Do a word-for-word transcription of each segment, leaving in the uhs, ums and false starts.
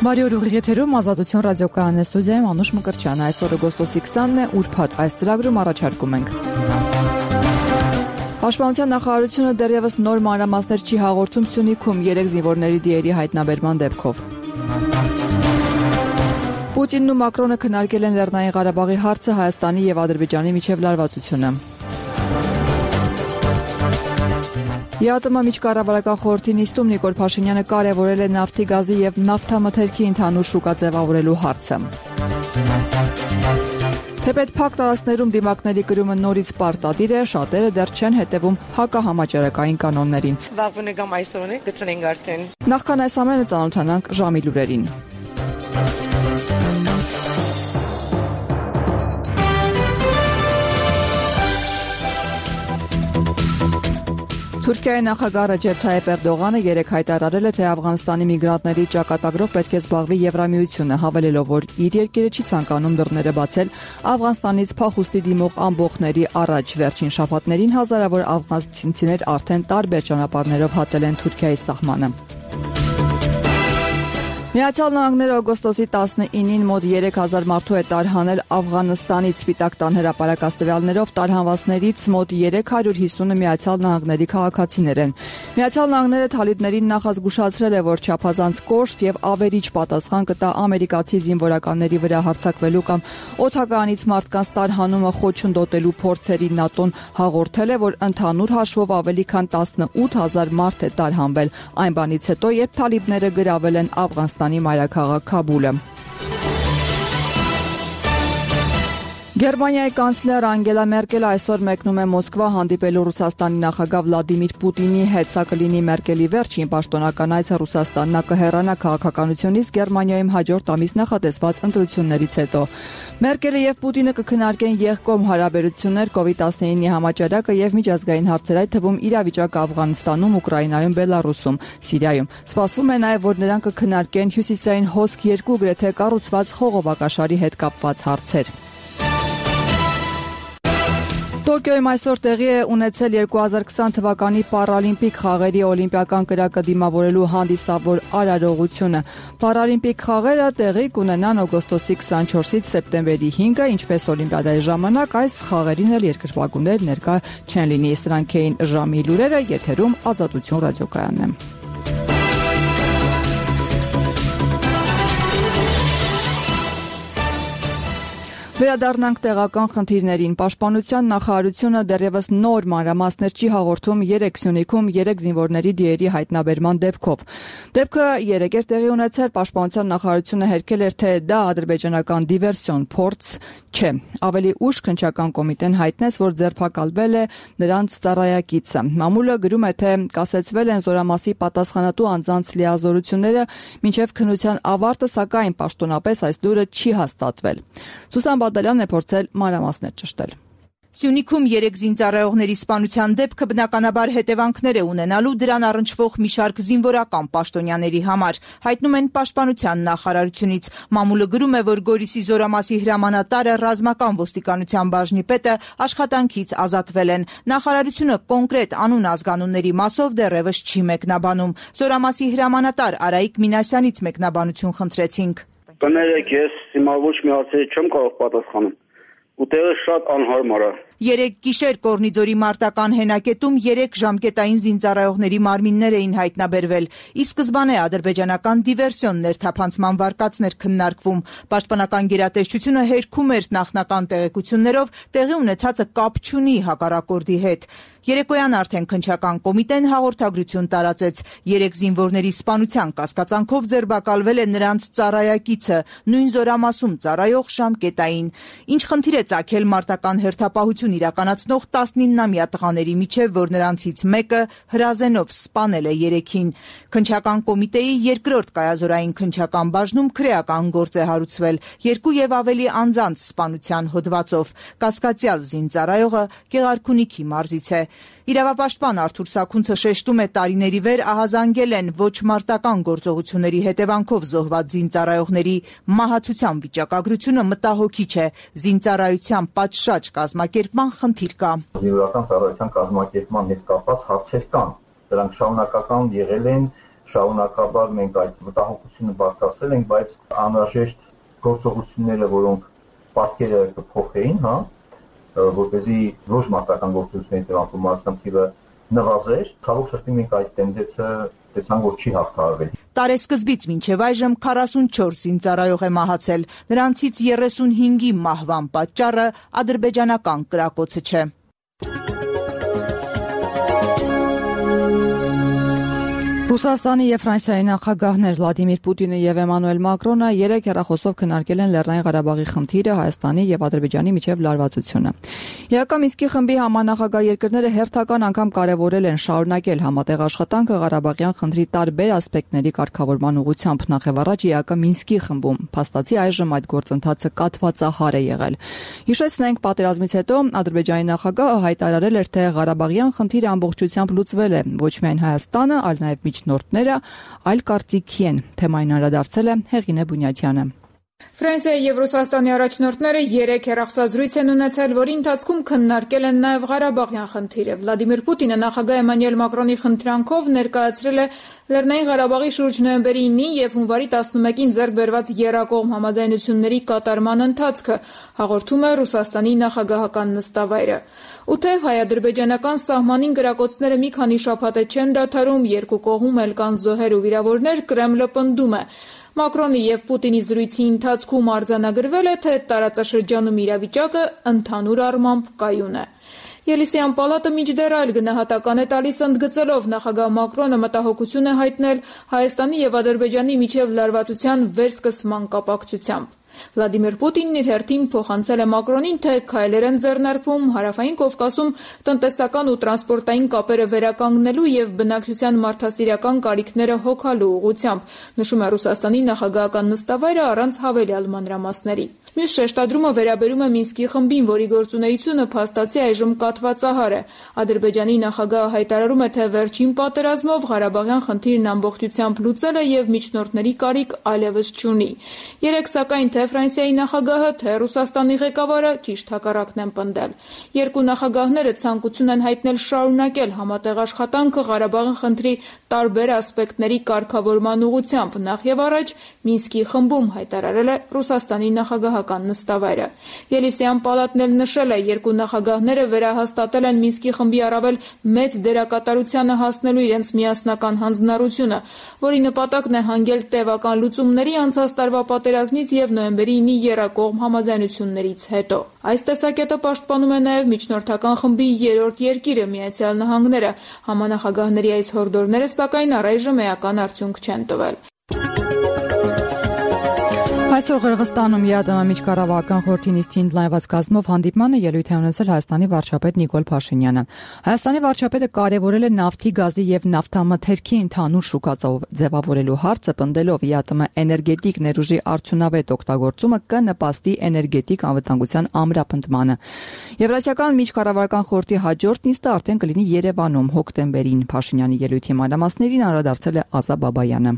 Բարի օր, ուղիղ եթերում Ազատություն ռադիոկայանն է, ստուդիայում Անուշ Մկրտչյանը։ Այսօր օգոստոսի քսանն է, ուրբաթ, այս ծրագրում առաջարկում ենք. Պաշտպանության նախարարությունը դեռևս նոր մանրամասներ չի հաղորդում Սյունիքում երեք զինվորների դիերի հայտնաբերման դեպքով։ Պուտինն ու Մակրոնը քննարկել են Լեռնային Ղարաբաղի հարցը, Հայաստանի եւ Ադրբեջանի միջև լարվածությունը։ ԵԱՏՄ միջկառավարական խորհրդի նիստում Նիկոլ Փաշինյանը կարևորել է նավթի, գազի եւ նավթամթերքի ընդհանուր շուկա ձևավորելու հարցը։ Թեպետ փակ տարածքներում դիմակների կրումը նորից պարտադիր է, շատերը դեռ չեն հետևում հակահամաճարակային կանոններին։ Վաղվա կամ այսօր է գտնենք արդեն։ Նախքան այս ամենը ծանոթանանք ժամի լուրերին։ Թուրքիայի նախագահ Ռեջեփ Թայիփ Էրդողանը երեկ հայտարարել է, թե Աֆղանստանի միգրանտների ճակատագրով պետք է զբաղվի Եվրամիությունը, հավելելով, որ իր երկիրը չի ցանկանում դռները բացել Աֆղանստանից փախուստի դիմող ամբոխների առաջ։ Վերջին շաբաթներին հազարավոր աֆղանցիներ արդեն տարբեր ճանապարհներով հատել են Թուրքիայի սահմանը։ Միացյալ Նահանգները օգոստոսի տասնինին մոտ երեք հազար մարդու է տարհանել Աֆղանստանից։ Սպիտակ տան հրապարակած տվյալներով տարհանվածներից մոտ երեք հարյուր հիսունը Միացյալ Նահանգների քաղաքացիներ են։ Միացյալ Նահանգները թալիբներին նախազգուշացրել է, որ չափազանց կոշտ եւ ավերիչ պատասխան կտա ամերիկացի զինվորականների վրա հարձակվելու կամ օդականից մարդկանց տարհանումը խոչընդոտելու փորձերին ՆԱՏՕ-ն հաղորդել է, որ ընդհանուր հաշվով ավելի քան տասնութ հազար մարդ է տարհանվել այն բանից հետո, երբ թալիբները գրավել են Աֆղանստանի մայրաքաղաք Քաբուլը։ Գերմանիայի կանցլեր Անգելա Մերկելը այսօր մեկնում է Մոսկվա հանդիպելու Ռուսաստանի նախագահ Վլադիմիր Պուտինի հետ։ Սա կլինի Մերկելի վերջին պաշտոնական այցը Ռուսաստան։ Նա կհեռանա քաղաքականությունից Գերմանիայում հաջորդ ամիս նախատեսված ընտրություններից հետո։ Մերկելը եւ Պուտինը կքննարկեն եղկոմ հարաբերություններ, կովիդ տասնինի համաճարակը եւ միջազգային հարցեր, այդ թվում իրավիճակը Աֆղանստանում, Ուկրաինայում, Բելարուսում, Սիրիայում։ Սպասվում է նաեւ, որ նրանք կքննարկեն Հյուսիսային հոսք երկու գրեթե կառուցված խողովակաշարի հետ կապված հարցեր։ Տոկիոյում այսօր տեղի է ունեցել երկու հազար քսան թվականի պարալիմպիկ խաղերի օլիմպիական կրակը դիմավորելու հանդիսավոր արարողությունը։ Պարալիմպիկ խաղերը տեղի կունենան օգոստոսի քսանչորսից սեպտեմբերի հինգը, ինչպես օլիմպիադայի ժամանակ այս խաղերին էլ երկրպագուներ ներկա չեն լինի։ Սրանք էին ժամի լուրերը, եթերում Ազատություն ռադիոկայանն է։ Վերադառնանք տեղական խնդիրներին։ Պաշտպանության նախարարությունը դեռևս նոր մանրամասներ չի հաղորդում երեք Սյունիքում երեք զինվորների դիերի հայտնաբերման դեպքով։ Դեպքը երեկ էր տեղի ունեցել, Պաշտպանության նախարարությունը հերքել էր, թե դա ադրբեջանական դիվերսիոն փորձ չէ։ Ավելի ուշ քննչական կոմիտեն հայտնեց, որ ձերբակալվել է նրանց ծառայակիցը։ Մամուլը գրում է, թե կասեցվել են զորամասի պատասխանատու անձանց լիազորությունները մինչև քննության ավարտը, սակայն պաշտոնապես այս լուրը չի հաստատվել։ Սուսան Բադալյանն է փորձել մանրամասներ ճշտել։ Սյունիքում երեք զինծառայողների սպանության դեպքը բնականաբար հետևանքներ է ունենալու դրան առնչվող մի շարք զինվորական պաշտոնյաների համար, հայտնում են Պաշտպանության նախարարությունից։ Մամուլը գրում է, որ Գորիսի զորամասի հրամանատարը, ռազմական ոստիկանության բաժնի պետը աշխատանքից ազատվել են։ Նախարարությունը կոնկրետ անուն ազգանունների մասով դեռևս չի մեկնաբանում։ Զորամասի հրամանատար Արայիկ Մինասյանից մեկնաբանություն խնդրեցինք։ Կներեք, ես հիմա ոչ մի հարցերի չեմ կարող պատասխանել։ Ու տեղը շատ անհարմար է։ Երեք գիշեր Կորնիձորի մարտական հենակետում երեք ժամկետային զինծառայողների մարմիններ էին հայտնաբերվել։ Ի սկզբանե ադրբեջանական դիվերսիոն ներթափանցման վարկածներ քննարկվում։ Պաշտպանական գերատեսչությունը հերքում էր նախնական տեղեկություններով, տեղի ունեցածը կապ չունի հակառակորդի հետ։ Երեկոյան արդեն քննչական կոմիտեն հաղորդագրություն տարածեց։ Երեք զինվորների սպանության կասկածանքով ձերբակալվել է նրանց ծառայակիցը, նույն զորամասում ծառայող ժամկետային։ Ինչ խնդիր է ծագել մարտական հերթապահություն իրականացնող տասնիննամյա տղաների միջև, որ նրանցից մեկը հրազենով սպանել է երեքին։ Քննչական կոմիտեի երկրորդ կայազորային քննչական բաժնում քրեական գործ է հարուցվել երկու եւ ավելի անձանց սպանության հոդվածով։ Կասկածյալ զինծառայողը Գեղարքունիքի մարզից է։ Իրավապաշտպան Արթուր Սաքունցը շեշտում է, տարիների վեր ահազանգել են ոչ մարտական գործողությունների հետևանքով զոհված զինծառայողների մահացության վիճակագրությունը մտահոգիչ է։ Զինծառայության պատշաճ կազմակերպման խնդիր կա։ Զինվորական ծառայության կազմակերպման հետ կապված հարցեր կան։ Դրանք շարունակական եղել են շարունակաբար մենք այդ մտահոգությունը բարձրացրել ենք, բայց անհրաժեշտ գործողությունները, որոնք պատկերը կփոխեին, հա, որպեսզի ոչ մարտական գործողությունների տեղանքում մարդկանց թիվը նվազեր, ցավոք սրտի մենք այդ տենդենսը տեսանք, որ չի հաղթահարվել։ Տարեսկզբից մինչև այժմ քառասունչորս զինծառայող է մահացել, նրանցից երեսունհինգի մահվան պատճառը ադրբեջանական կրակոցը չէ։ Ռուսաստանի եւ Ֆրանսիայի նախագահներ Վլադիմիր Պուտինը եւ Էմանուել Մակրոնը երեք հեռախոսով քննարկել են Լեռնային Ղարաբաղի խնդիրը, Հայաստանի եւ Ադրբեջանի միջև լարվածությունը։ Եհ Մինսկի խմբի համանախագահ երկրները հերթական անգամ կարևորել են շարունակել համատեղ աշխատանքը Ղարաբաղյան խնդրի տարբեր ասպեկտների կարգավորման ուղղությամբ, նախևառաջ Եհ Մինսկի խմբում։ Փաստացի այժմ այդ գործընթացը կաթվածահար է եղել։ Հիշեցնենք, պատերազմից հետո Ադրբեջանի նախագահը հայտարարել էր, թե Ղարաբաղյան խնդիրը ամբողջությամբ լուծվել է, ոչ միայն Հայաստանը, այլ նաեւ միջնորդները այլ կարծիքի են։ Թեմային անդրադարձել է Հեղինե Բունյաթյանը։ Ֆրանսիայի եւ Ռուսաստանի առաջնորդները երեք հեռախոսազրույց են ունեցել, որի ընթացքում քննարկել են նաեւ Ղարաբաղյան խնդիրը։ Վլադիմիր Պուտինը նախագահ Էմանուել Մակրոնի խնդրանքով ներկայացրել է Լեռնային Ղարաբաղի շուրջ նոյեմբերի ինին եւ հունվարի տասնմեկին ձեռք բերված եռակողմ համաձայնությունների կատարման ընթացքը, հաղորդում է Ռուսաստանի նախագահական նստավայրը։ Ու թեև հայ-ադրբեջանական սահմանին գրակոծները մի քանի շաբաթ չեն դադարում, երկու կողմում էլ կան զոհեր ու վիրավորներ, Կրեմլը պնդում է։ Մակրոնի եւ Պուտինի զրույցի ընթացքում արձանագրվել է, թե տարածաշրջանում իրավիճակը ընդհանուր առմամբ կայուն է։ Ելիսեյան պալատը մինչդեռ այլ գնահատական է տալիս, ընդգծելով նախագահ Մակրոնը մտահոգություն է հայտնել Հայաստանի եւ Ադրբեջանի միջև լարվածության վերսկսման կապակցությամբ։ Վլադիմիր Պուտինն իր հերթին փոխանցել է Մակրոնին, թե քայլեր են ձեռնարկվում Հարավային Կովկասում տնտեսական ու տրանսպորտային կապերը վերականգնելու եւ բնակչության մարդասիրական կարիքները հոգալու ուղղությամբ, նշում է Ռուսաստանի նախագահական նստավայրը առանց հավելյալ մանրամասների։ Մյուս շեշտադրումը վերաբերում է Մինսկի խմբին, որի գործունեությունը փաստացի այժմ կաթվածահար է։ Ադրբեջանի նախագահը հայտարարում է, թե վերջին պատերազմով Ղարաբաղյան խնդիրն ամբողջությամբ լուծել է եւ միջնորդների կարիք այլևս չունի։ Երեք սակայն թե Ֆրանսիայի նախագահը, թե Ռուսաստանի ղեկավարը ճիշտ հակառակն են պնդել։ Երկու նախագահները ցանկություն են հայտնել շարունակել համատեղ աշխատանքը Ղարաբաղյան խնդրի տարբեր ասպեկտների կարգավորման ուղղությամբ, նախ եւ առաջ Մինսկի խմբում, հայտարարել է Ռուսաստանի նախագահական նստավայրը։ Ելիսեյան պալատն էլ նշել է, երկու նախագահները վերահաստատել են Մինսկի խմբի առավել մեծ դերակատարությանը հասնելու իրենց միասնական հանձնառությունը, որի նպատակն է հանգել տևական լուծումների անցած տարվա պատերազմից եւ նոյեմբերի ինի եռակողմ համաձայնություններից հետո։ Այս տեսակետը պաշտպանում է նաեւ միջնորդական խմբի երրորդ երկիրը Միացյալ Նահանգները։ Համանախագահների այս հորդորները սակայն առայժմ էական արդյունք չեն տվել։ Այսօր Ղրղստանում ԵԱՏՄ միջկառավարական խորհրդի նիստին ընդլայնված կազմով հանդիպմանը ելույթ է ունեցել Հայաստանի վարչապետ Նիկոլ Փաշինյանը։ Հայաստանի վարչապետը կարևորել է նավթի, գազի եւ նավթամթերքի ընդհանուր շուկա ձևավորելու հարցը, պնդելով ԵԱՏՄ էներգետիկ ներուժի արդյունավետ օգտագործումը կնպաստի էներգետիկ անվտանգության ամրապնդմանը։ Եվրասիական միջկառավարական խորհրդի հաջորդ նիստը արդեն կլինի Երևանում հոկտեմբերին։ Փաշինյանի ելույթի մանրամասներին անդրադարձել է Ազա Բաբայանը։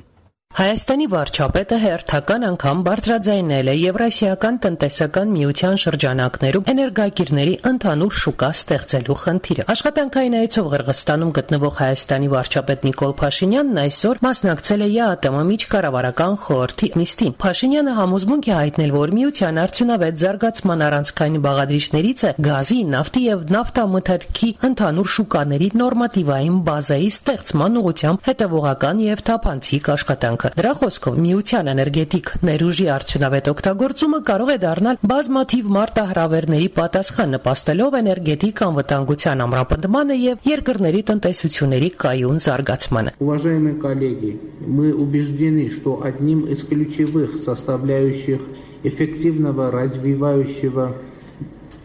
Հայաստանի վարչապետը հերթական անգամ բարձրաձայնել է Եվրասիական տնտեսական միության շրջանակներում էներգակիրների ընդհանուր շուկա ստեղծելու խնդիրը։ Աշխատանքային այցով Ղրղստանում գտնվող Հայաստանի վարչապետ Նիկոլ Փաշինյանն այսօր մասնակցել է ԵԱՏՄ միջկառավարական խորհրդի նիստին։ Փաշինյանը համոզմունք է հայտնել, որ միության արդյունավետ զարգացման առանցքային բաղադրիչներից է գազի, նավթի եւ նավթամթերքի ընդհանուր շուկաների նորմատիվային բազայի ստեղծման ուղղությամբ հետևողական եւ թափանցիկ աշխատանք։ Դրա խոսքով միության էներգետիկ ներուժի արդյունավետ օգտագործումը կարող է դառնալ բազմաթիվ մարտահրավերների պատասխան, նպաստելով էներգետիկ անվտանգության ամրապնդմանը եւ երկրների տնտեսությունների կայուն զարգացմանը։ Уважаемые коллеги, мы убеждены, что одним из ключевых составляющих эффективного развивающего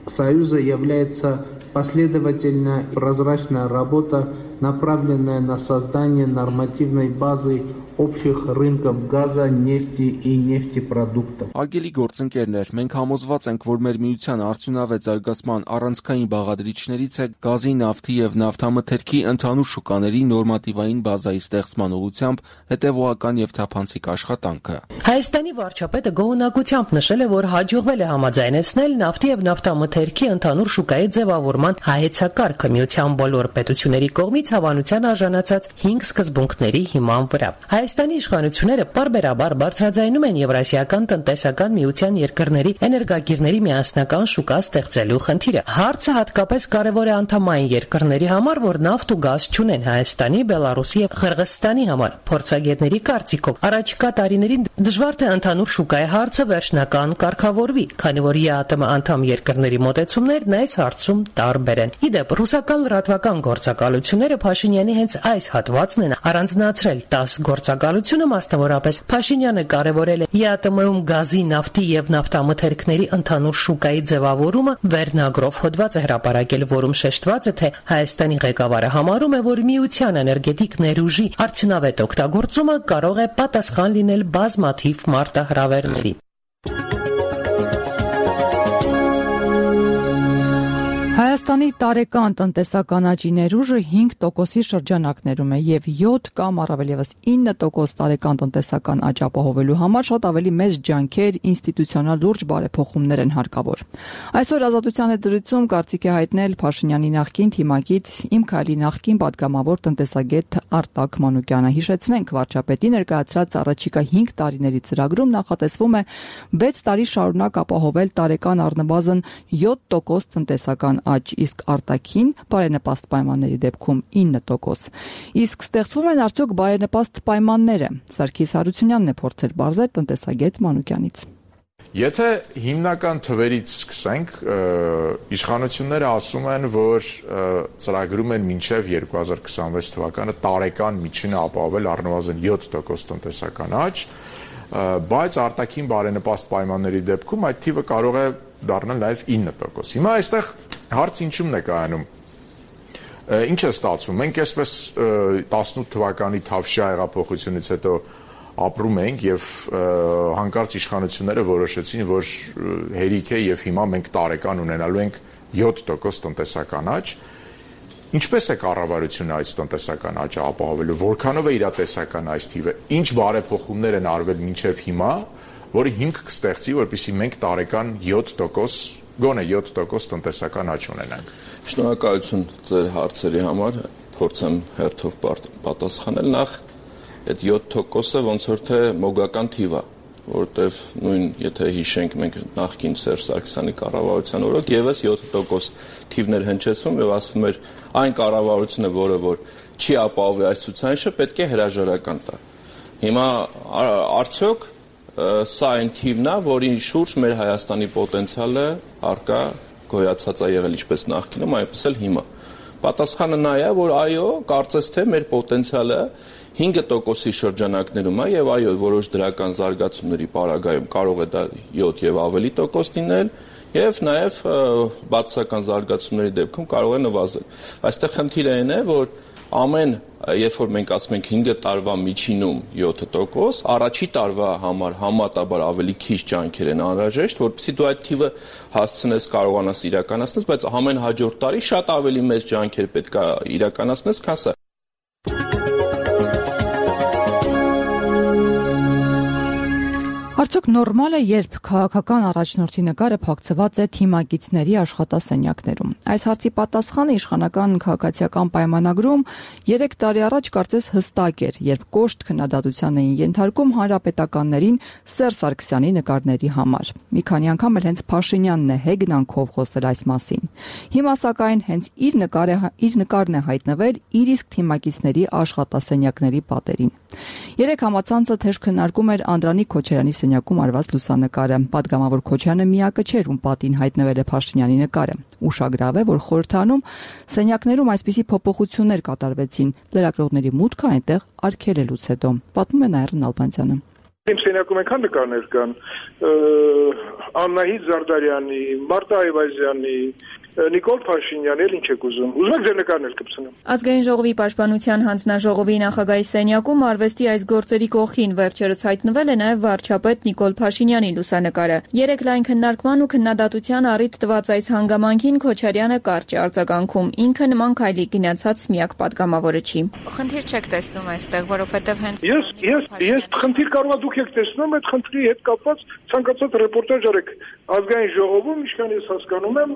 союза является последовательная прозрачная работа, направленная на создание нормативной базы общих рынков газа, нефти и нефтепродуктов. Արգելի գործընկերներ, մենք համոզված ենք, որ մեր միության արդյունավետ զարգացման առանցքային բաղադրիչներից է գազի, նավթի եւ նավթամթերքի ընդհանուր շուկաների նորմատիվային բազայի ստեղծման ուղղությամբ հետեւողական եւ թափանցիկ աշխատանքը։ Հայաստանի վարչապետը գոհունակությամբ նշել է, որ հաջողվել է համաձայնեցնել նավթի եւ նավթամթերքի ընդհանուր շուկայի ձևավորման հայեցակարգը միության բոլոր պետությունների կողմից հավանության արժանացած հինգ սկզբունքների հիման վրա։ Հայաստանի իշխանությունները պարբերաբար բարձրաձայնում են Եվրասիական տնտեսական միության երկրների էներգագիրների միասնական շուկա ստեղծելու խնդիրը։ Հարցը հատկապես կարևոր է անդամային երկրների համար, որ նավթ ու գազ չունեն Հայաստանի, Բելարուսի եւ Ղրղըզստանի համար։ Փորձագետների կարծիքով առաջիկա տարիներին դժվար թե ընդհանուր շուկայի հարցը վերջնական կարգավորվի, քանի որ ԵԱՏՄ անդամ երկրների մոտեցումներն այս հարցում տարբեր են։ Իդեպ ռուսական լրատվական գործակալությունները Փաշինյանի հենց այս հատվածն են առանձնացրել տաս գործակալությունը, մասնավորապես Փաշինյանը կարևորել է ԵԱՏՄ-ում գազի, նավթի եւ նավթամթերքների ընդհանուր շուկայի ձևավորումը, վերնագրով հոդված է հրապարակել, որում շեշտված է, թե Հայաստանի ղեկավարը համարում է, որ միության էներգետիկ ներուժի արդյունավետ օգտագործումը կարող է պատասխան լինել բազմաթիվ մարտահրավերների։ Հայաստանի տարեկան տնտեսական աճի ներուժը հինգ տոկոսի շրջանակներում է եւ յոթ կամ առավել եւս ինը տոկոս տարեկան տնտեսական աճ ապահովելու համար շատ ավելի մեծ ջանքեր, ինստիտուցիոնալ լուրջ բարեփոխումներ են հարկավոր։ Այսօր Ազատության հետ զրույցում կարծիք է հայտնել Փաշինյանի նախկին թիմակից Իմ քայլի նախկին պատգամավոր տնտեսագետ Արտակ Մանուկյանը։ Հիշեցնենք, վարչապետի ներկայացրած առաջիկա հինգ տարիների ծրագրում նախատեսվում է վեց տարի շարունակ ապահովել տարեկան առնվազն յոթ տոկոս տնտեսական աճ, իսկ արտաքին բարենպաստ պայմանների դեպքում ինը տոկոս։ Իսկ ստեղծվում են արդյոք բարենպաստ պայմանները։ Սարգիս Հարությունյանն է փորձել բարձր տնտեսագետ Մանուկյանից։ Եթե հիմնական թվերից սկսենք, իշխանությունները ասում են, որ ծրագրում են մինչև երկու հազար քսանվեց թվականը տարեկան միջինը ապահովել առնվազն յոթ տոկոս տնտեսական աճ, բայց արտաքին բարենպաստ պայմանների դեպքում այդ թիվը կարող է դառնալ նաև ինը տոկոս։ Հիմա այստեղ հարց ինչումն է կայանում։ Ինչ է ստացվում։ Մենք այսպես տասնութ թվականի Թավշյա հեղափոխությունից հետո ապրում ենք եւ հանկարծ իշխանությունները որոշեցին, որ հերիք է եւ հիմա մենք տարեկան ունենալու ենք յոթ տոկոս տնտեսական աճ։ Ինչպես է կառավարությունը այս տնտեսական աճը ապահովելու, որքանով է իրատեսական այս թիվը, ինչ բարեփոխումներ են արվել մինչև հիմա, որը հիմք կստեղծի, որպեսզի մենք տարեկան յոթ տոկոս, գոնե յոթ տոկոս տնտեսական աճ ունենանք։ Շնորհակալություն ձեր հարցերի համար, փորձեմ հերթով պատասխանել։ Նախ այդ յոթ տոկոսը ոնց որ թե մոգական թիվ է, որտեվ նույն եթե հիշենք մենք նախկին Սերժ Սարգսյանի կառավարության օրոք եւս յոթ տոկոս թիվներ հնչեցվում եւ ասվում էր այն կառավարությունը, որը որ չի ապահովի այս ցուցանիշը, պետք է հրաժարական տա։ Հիմա արդյոք սա այն թիվն է, որի շուրջ մեր Հայաստանի պոտենցիալը արկա գոյացած է եղել ինչպես նախկինում, այնպես էլ հիմա։ Պատասխանը նա է, որ այո, կարծես թե մեր պոտենցիալը հինգ տոկոսի շրջանակներում է եւ այո, որոշ դրական զարգացումների պարագայում կարող է դա յոթ եւ ավելի տոկոս լինել եւ նաեւ բացասական զարգացումների դեպքում կարող է նվազել։ Այստեղ խնդիրը այն է, որ ամեն երբ որ մենք ասում ենք հինգ տարվա միջինում յոթ տոկոս, առաջի տարվա համար համատաբար ավելի քիչ ջանքեր են անհրաժեշտ, որպեսզի դու այդ թիվը հասցնես, կարողանաս իրականացնես, բայց ամեն հաջորդ տարի շատ ավելի մեծ ջանքեր պետք է իրականացնես, քան սա։ Արդյոք նորմալ է, երբ քաղաքական առաջնորդի նկարը փակցված է թիմակիցների աշխատասենյակներում։ Այս հարցի պատասխանը իշխանական քաղաքացիական պայմանագրում երեք տարի առաջ կարծես հստակ էր, երբ կոշտ քննադատության էին ենթարկում հանրապետականներին Սերժ Սարգսյանի նկարների համար։ Մի քանի անգամ էլ հենց Փաշինյանն է հեգնանքով խոսել այս մասին։ Հիմա սակայն հենց իր նկարը իր նկարն է հայտնվել իր իսկ թիմակիցների աշխատասենյակների պատերին։ Երեք համացանցը թեժ քննարկում էր Անդրանիկ Քոչարյանի սենյակում արված լուսանկարը։ Պատգամավոր Քոչյանը միակը չէր, ում պատին հայտնվել է Փաշինյանի նկարը։ Ուշագրավ է, որ խորհրդանում սենյակներում այսպիսի փոփոխություններ կատարվեցին։ Լրագրողների մուտքը այնտեղ արգելելուց հետո։ Պատմում է Նայիրն Ալբանցյանը։ Իմ սենյակում այնքան նկարներ կան Աննահիտ Զարդարյանի, Մարտա Այվազյանի, Նիկոլ Փաշինյանը, էլ ինչ եք ուզում։ Ուզում եք ձեր նկարն էլ կպցնեմ։ Ազգային ժողովի պաշտպանության հանձնաժողովի նախագահի սենյակում արվեստի այս գործերի կողքին վերջերս հայտնվել է նաև վարչապետ Նիկոլ Փաշինյանի լուսանկարը։ Երեք լայն քննարկման ու քննադատության առիթ տված այս հանգամանքին Քոչարյանը կարճ է արձագանքում։ Ինքը նման քայլի գնացած միակ պատգամավորը չի։ Խնդիր չեք տեսնում այստեղ, որովհետև հենց Ես ես ես խնդիր կարող դուք եք տեսնում, այդ խնդրի հետ կապված ցանկացած ռեպորտաժ արեք ազգային ժողովում, ինչքան ես հասկանում եմ,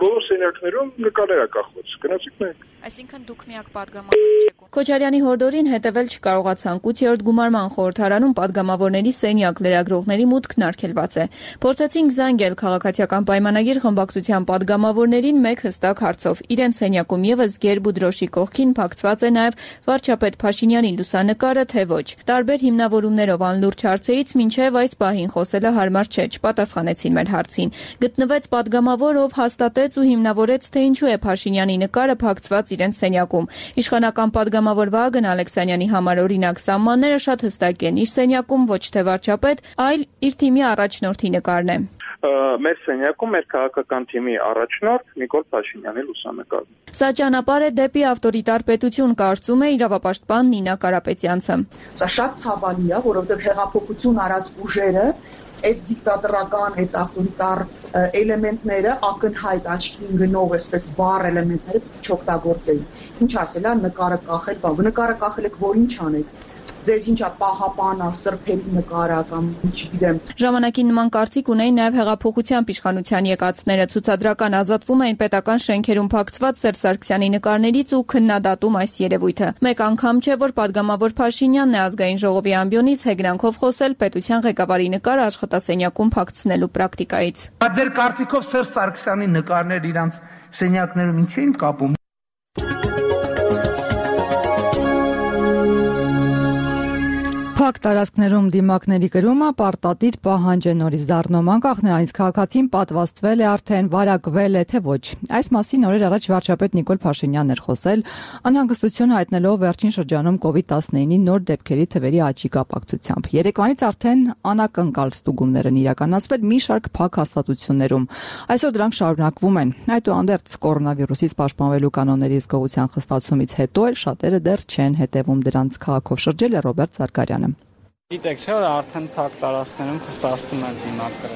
բոլոր սենյակներում նկարներ կախված։ Գնացիք մեկ։ Այսինքն դուք միակ պատգամավորը չեք։ Քոչարյանի հորդորին հետևել չկարողացան։ ութերորդ գումարման խորհրդարանում պատգամավորների սենյակ լրագրողների մուտքն արգելված է։ Փորձեցինք զանգել քաղաքացիական պայմանագիր խմբակցության պատգամավորներին մեկ հստակ հարցով։ Իրենց սենյակում եւս գերբ ու դրոշի կողքին փակցված է նաև վարչապետ Փաշինյանի լուսանկարը, թե ոչ։ Տարբեր հիմնավորումներով անլուրջ հարցերից մինչև այս պահին խոսելը հարմար չէ, չպատասխանեցին մեր հարցին։ Գտնվեց պատգամավոր, ով հաստատեց ու հիմնավորեց, թե ինչու է Փաշինյանի նկարը փակցված իրենց սենյակում։ Իշխանական պատգամավոր Վահագն Ալեքսանյանի համար օրինակ սահմանները շատ հստակ են։ Իր սենյակում ոչ թե վարչապետ, այլ իր թիմի առաջնորդի նկարն է։ Մեր սենյակում մեր քաղաքական թիմի առաջնորդ Նիկոլ Փաշինյանի լուսանկարն։ Սա ճանապարհ է դեպի ավտորիտար պետություն, կարծում է իրավապաշտպան Նինա Կարապետյանցը։ Սա շատ ցավալի է, որովհետև հեղափոխություն արած ուժերը այդ դիկտատորական, այդ ավտորիտար էլեմենտները ակնհայտ աչքին գնող այսպես բառ էլեմենտները չօգտագործեն։ Ինչ ասելա նկարը կախել, բա նկարը կախել եք, որ ինչ անեք։ Ձեզ ինչա պահապանա, սրբերի նկարը կամ չգիտեմ։ Ժամանակին նման կարծիք ունեին նաև հեղափոխության իշխանության եկածները, ցուցադրական ազատվում էին պետական շենքերում փակցված Սերժ Սարգսյանի նկարներից ու քննադատում այս երևույթը։ Մեկ անգամ չէ, որ պատգամավոր Փաշինյանն է ազգային ժողովի ամբիոնից հեգնանքով խոսել պետության ղեկավարի նկարը աշխատասենյակում փակցնելու պրակտիկայից։ Ձեր կարծիքով Սերժ Սարգսյանի նկարներ իրանց սենյակներում ինչ էին կապում։ Փակ տարածքներում դիմակների կրումը պարտադիր պահանջ է նորից դառնում, անկախ նրանից քաղաքացին պատվաստվել է արդեն, վարակվել է թե ոչ։ Այս մասին օրեր առաջ վարչապետ Նիկոլ Փաշինյանն էր խոսել, անհանգստություն հայտնելով վերջին շրջանում կովիդ տասնինը նոր դեպքերի թվերի աճի կապակցությամբ։ Երեկվանից արդեն անակնկալ ստուգումներ են իրականացվել մի շարք փակ հաստատություններում։ Այսօր դրանք շարունակվում են։ Այդուհանդերձ կորոնավիրուսից պաշտպանվելու կանոնների զգովության խստացումից հետո էլ շատերը դեռ չեն հետևում դրանց։ Քաղաքով շրջել է Ռոբերտ Զարգարյանը։ Գիտեք չէ, արդեն փակ տարածքներում խստացնում են դիմակները։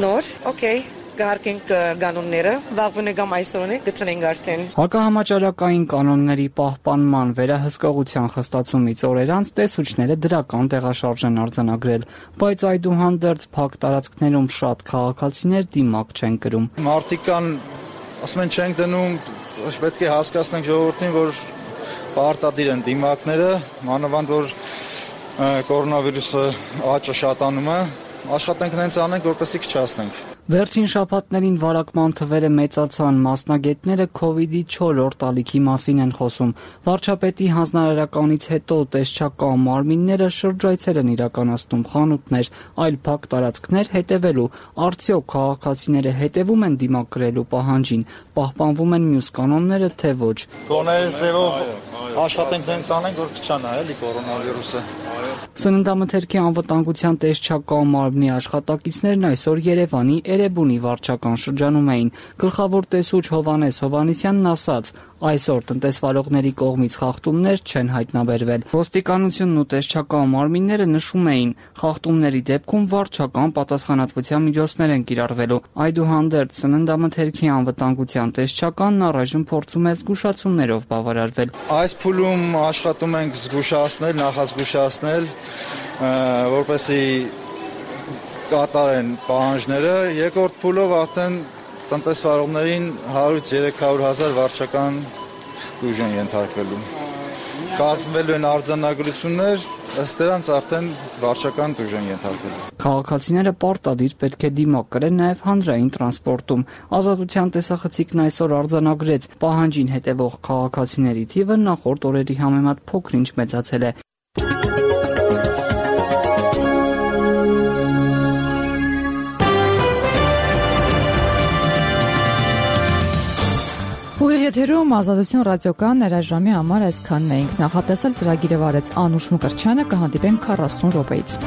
Նոր, օքեյ, կհարկենք կանոնները, վաղվան կամ այսօր գտնենք արդեն։ Հակահամաճարակային կանոնների պահպանման վերահսկողության խստացումից օրեր անց տեսուչները դրական տեղաշարժ են արձանագրել, բայց այդուհանդերձ փակ տարածքներում շատ քաղաքացիներ դիմակ չեն կրում։ Մարդիկ կան, ասում են չենք դնում, պետք է հասկացնենք ժողովրդին, որ պարտադիր են դիմակները, մանավանդ որ կորոնավիրուսը աճը շատանում է, աշխատենք նենց անենք, որպեսզի քչացնենք։ Վերջին շաբաթներին վարակման թվերը մեծացան, մասնագետները քովիդի չորրորդ ալիքի մասին են խոսում։ Վարչապետի հանձնարարականից հետո տեսչական մարմինները շրջայցեր են իրականացնում, խանութներ, այլ փակ տարածքներ հետևելու։ Արդյոք քաղաքացիները հետևում են դիմակ կրելու պահանջին, պահպանվում են մյուս կանոնները, թե ոչ։ Գոնե ձևով աշխատենք նենց անենք, որ քչանա էլի կորոնավիրուսը։ Սննդամթերքի անվտանգության տեսչական մարմնի աշխատակիցներն այսօր Երևանի Էրեբունի վարչական շրջանում էին։ Գլխավոր տեսուչ Հովհաննես Հովհաննիսյանն ասաց. այսօր տնտեսվարողների կողմից խախտումներ չեն հայտնաբերվել։ Ոստիկանությունն ու տեսչական մարմինները նշում էին, խախտումների դեպքում վարչական պատասխանատվության միջոցներ են կիրառվելու։ Այդուհանդերձ սննդամթերքի անվտանգության տեսչականն առայժմ փորձում է զգուշացումներով բավարարվել։ Այս փուլում աշխատում ենք զգուշացնել, նախազգուշացնել, որպեսզի կատարեն պահանջները, երկրորդ փուլով արդեն տնտեսվարողներին հարյուրից երեք հարյուր հազար վարչական ուժ են ենթարկվելու։ Կազմվելու են արձանագրություններ, ըստ դրանց արդեն վարչական ուժ են ենթարկվելու։ Քաղաքացիները պարտադիր պետք է դիմակ կրեն նաև հանրային տրանսպորտում։ Ազատության տեսախցիկն այսօր արձանագրեց, պահանջին հետևող քաղաքացիների թիվը նախորդ օրերի համեմատ փոքր-ինչ մեծացել է։ Եթերում Ազատություն ռադիոկայանն երաժամի համար այսքանն էինք։ Նախատեսել ծրագիրը վարեց Անուշ Մկրտչյանը, կհանդիպենք քառասուն րոպեից։